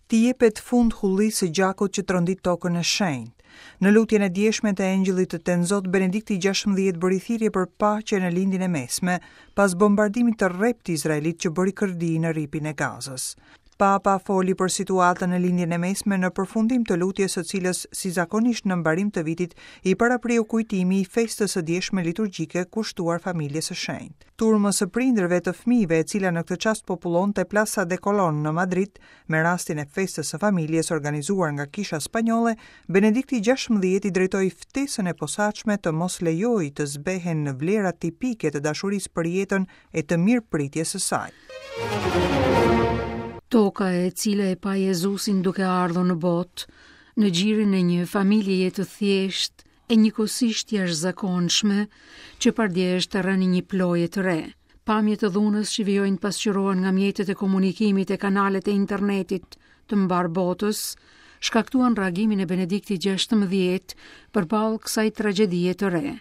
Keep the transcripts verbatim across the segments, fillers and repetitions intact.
T'i jepet fund hullisë së gjakut që trondit tokën e shenjtë. Në lutjen e djeshme të Engjëllit të Tenzot, Benedikti gjashtëmbëdhjetë bëri thirrje për paqe në Lindjen e Mesme, pas bombardimit të rreptë izraelit që bëri kërdi në rripin e Gazës. Papa foli për situatën në Lindjen e Mesme në përfundim të lutjes së cilës, si zakonisht në mbarim të vitit, i parapriu kujtimi i festës së djeshme liturgjike kushtuar familjes së shenjtë. Turmës së prindërve të fëmijëve, e cila në këtë çast popullonte Plaza de Colón në Madrid, me rastin e festës së familjes organizuar nga Kisha Spanjolle, Benedikti gjashtëmbëdhjetë i drejtoi ftesën e posaçme të mos lejojë të zbehen në vlerat tipike të dashurisë për jetën e të mirëpritjes së saj. Toka e cila e pa Jezusin duke ardhur në botë, në gjirin e një familjeje të thjeshtë e njëkohësisht jashtëzakonshme, që pardje është terreni një ploje të re. Pamjet të dhunës që vijojnë pasqyrohen nga mjetet e komunikimit e kanalet e internetit të mbar botës, shkaktuan reagimin e Benediktit gjashtëmbëdhjetë përballë kësaj tragjedie të re.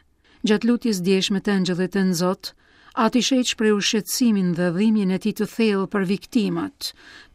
Gjatë lutjes djeshme të Engjëllit të Nzot, Ati Shenjt shprehu shqetësimin dhe dhimbjen e tij të thellë për viktimat,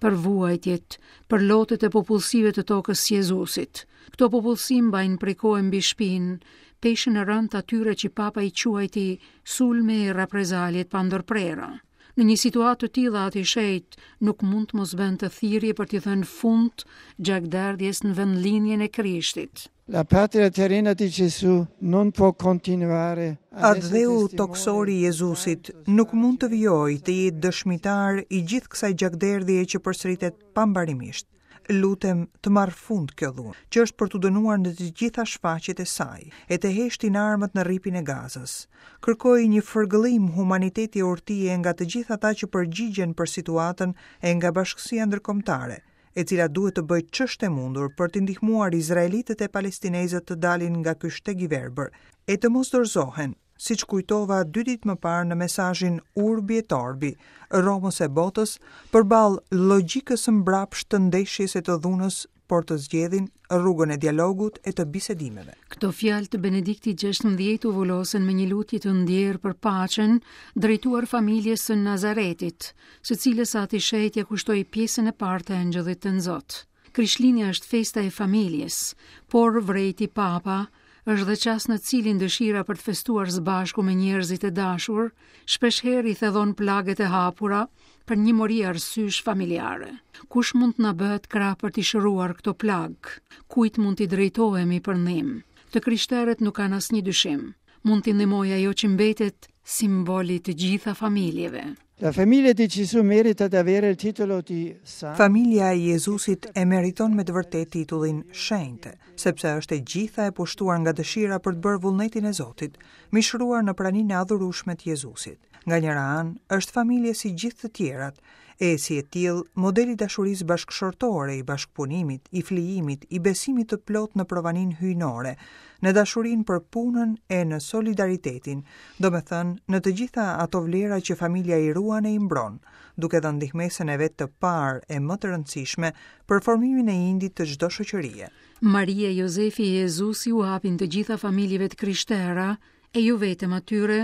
për vuajtjet, për lotët e popullsive të tokës së Jezusit. Këto popullsi mbajnë prej kohe mbi shpinë peshën e rëndë atyre që Papa i quajti sulme e reprezalje të pandërprera. Në një situatë të tillë, Ati Shenjt nuk mund të mos bënte thirrje për t'i dhënë fund gjakderdhjes në vendlinjen e Krishtit. La patria terrena di Gesù non può continuare a Atdheu toksori i Jezusit nuk mund të vijojë të jetë dëshmitar i gjithë kësaj gjakderdhjeje që përsëritet pambarimisht. Lutem të marrë fund kjo dhunë, që është për t'u dënuar në të gjitha shfaqjet e saj, e të heshtin armët në rripin e Gazës. Kërkoj një fërgëllim humaniteti e urtie nga të gjithë ata që përgjigjen për situatën e nga bashkësia ndërkombëtare, e cila duhet të bëjë ç'është e mundur për të ndihmuar izraelitët e palestinezët të dalin nga ky shteg i verbër, e të mos dorëzohen, siç kujtova dy ditë më parë në mesazhin Urbi et Orbi, Romës e botës, përballë logjikës së mbrapsht të ndeshjes e të dhunës, por të zgjedhin rrugën e dialogut e të bisedimeve. Këto fjalë të Benediktit gjashtëmbëdhjetë u vulosen me një lutje të ndjerë për paqen drejtuar familjes së Nazaretit, së cilës Ati Shenjt ja kushtoi pjesën e parë të Engjëllit të Nzot. Krishtlindja është festa e familjes, por vrejti Papa është dhe çast në cilin dëshira për të festuar së bashku me njerëzit e dashur, shpeshherë i thellon plagët e hapura për një mori arsysh familjare. Kush mund të na bëhet krah për t'i shëruar këto plagë? Kujt mund t'i drejtohemi për ndihmë? Të krishterët nuk kanë asnjë dyshim. Mund t'i ndihmojë ajo që mbetet simboli të gjitha familjeve. La famiglia di Gesù merita di avere il titolo di santa. Familja e Jezusit e meriton me të vërtetë titullin shenjte, sepse është e gjitha e pushtuar nga dëshira për të bërë vullnetin e Zotit, mishëruar në praninë e adhurueshme të Jezusit. Nga njëra anë, është familje si gjithë të tjerat, e si e tillë, modeli i dashurisë bashkëshortore, i bashkëpunimit, i flijimit, i besimit të plot në provaninë hyjnore, në dashurinë për punën e në solidaritetin, domethënë në të gjitha ato vlera që familja i ruan e i mbron, duke dhënë ndihmesën e vet të parë e më të rëndësishme për formimin e indit të çdo shoqërie. Maria, Jozefi e Jezusi u hapin të gjitha familjeve të krishtera e jo vetëm atyre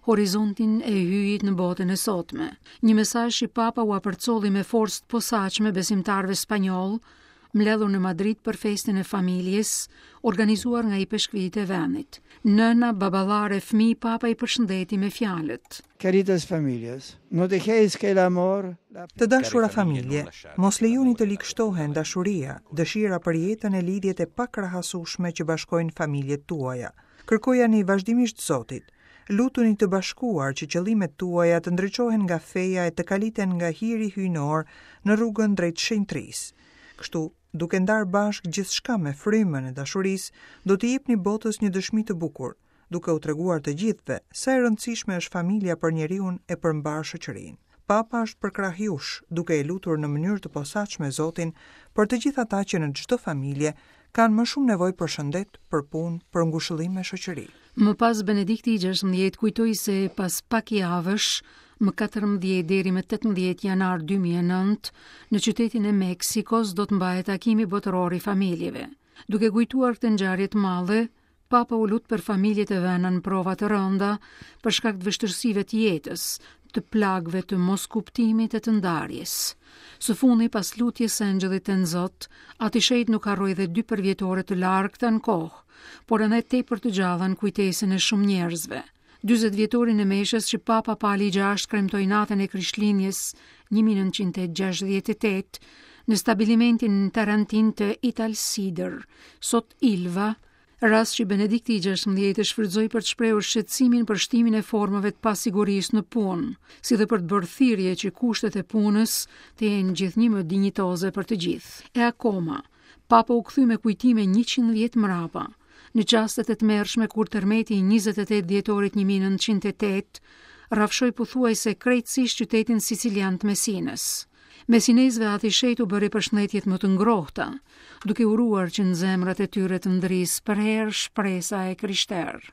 horizontin e hyjit në botën e sotme. Një mesazh i Papa ua përcolli me forcë të posaçme besimtarëve spanjoll, mbledhur në Madrid për festën e familjes, organizuar nga ipeshkvit e vendit. Nëna, baballar e fëmijë, Papa i përshëndeti me fjalët. Queridas familias, no dejéis que el amor, la Të dashura familje, mos lejoni të ligështohen dashuria, dëshira për jetën e lidhjet e pakrahasueshme që bashkojnë familjet tuaja. Kërkojani vazhdimisht Zotit. Lutuni të bashkuar që qëllimet tuaja të ndriçohen nga feja e të kaliten nga hiri hyjnor në rrugën drejt shenjtrisë. Kështu, duke ndarë bashkë gjithçka me frymën e dashurisë, do t'i jepni botës një dëshmi të bukur, duke u treguar të gjithëve sa e rëndësishme është familja për njeriun e për mbar shoqërinë. Papa është përkrah jush, duke e lutur në mënyrë të posaçme Zotin për të gjithë ata që në çdo familje kanë më shumë nevojë për shëndet, për punë, për ngushëllim me shoqëri. Më pas Benedikti i gjashtëmbëdhjetë kujtoi se pas pak javësh, më katërmbëdhjetë deri më tetëmbëdhjetë janar dy mijë e nëntë, në qytetin e Meksikos do të mbahet takimi botëror i familjeve. Duke kujtuar këtë ngjarje të madhe, Papa u lut për familjet e vëna në prova të rënda për shkak të vështirësive të jetës, të plagëve të moskuptimit e të ndarjes. Së fundi, pas lutjes së Engjëllit të Zot, Ati Shenjt nuk harroi dhe dy përvjetore të largëta në kohë, por edhe tepër të gjalla në kujtesën e shumë njerëzve. dyzet vjetorin e meshës që Papa Pali i gjashtë kremtoi natën e Krishtlindjes një mijë e nëntëqind e gjashtëdhjetë e tetë në stabilimentin Tarantin të Italsider, sot Ilva, rast që Benedikti i gjashtëmbëdhjetë e shfrytëzoi për të shprehur shqetësimin për shtimin e formave të pasigurisë në punë, si dhe për të bërë thirrje që kushtet e punës të jenë gjithnjë më dinjitoze për të gjithë. E akoma, Papa u kthy me kujtime njëqind vjet mbrapa, në çastet e tmerrshme kur tërmeti i njëzet e tetë dhjetorit një mijë e nëntëqind e tetë rrafshoi pothuajse krejtësisht qytetin sicilian të Messinës. Messinezëve Ati Shenjt u bëri përshëndetjet më të ngrohta, duke uruar që në zemrat e tyre të ndrisë përherë shpresa e krishterë.